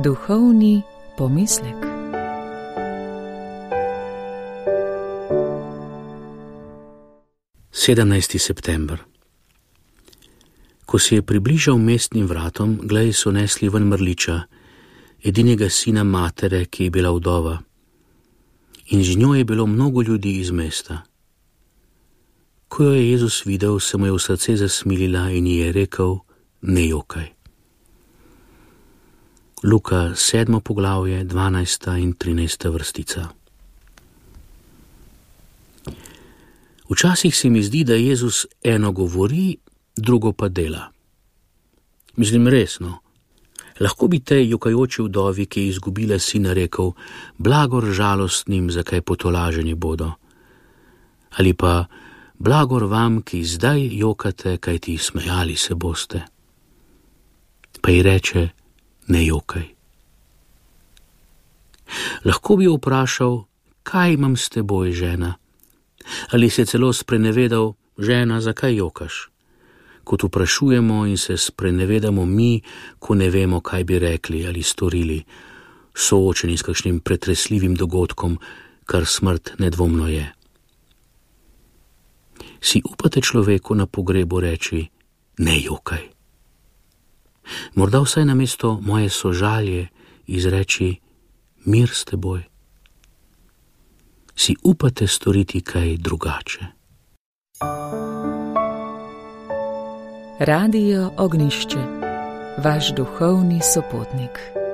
Duhovni pomislek. Sedemnajsti september. Ko se je približal mestnim vratom, glej, so nesli ven mrliča, edinega sina matere, ki je bila vdova, in z njo je bilo mnogo ljudi iz mesta. Ko jo je Jezus videl, se mu je v srce zasmilila in ji je rekel: ne jokaj. Luka 7. poglavje, 12. in 13. vrstica. Včasih se mi zdi, da Jezus eno govori, drugo pa dela. Mislim, resno. Lahko bi tej jokajoči vdovi, ki je izgubila sina, rekel: blagor žalostnim, zakaj potolaženi bodo. Ali pa: blagor vam, ki zdaj jokate, kajti smejali se boste. Pa ji reče: ne jokaj. Lahko bi jo vprašal: kaj imam s teboj, žena? Ali se celo sprenevedal: žena, zakaj jokaš? Kot vprašujemo in se sprenevedamo mi, ko ne vemo, kaj bi rekli ali storili, soočeni s kakšnim pretresljivim dogodkom, kar smrt nedvomno je. Si upate človeku na pogrebu reči: ne jokaj? Morda vsaj namesto moje sožalje izreči: mir s teboj? Si upate storiti kaj drugače? Radio Ognjišče, vaš duhovni sopotnik.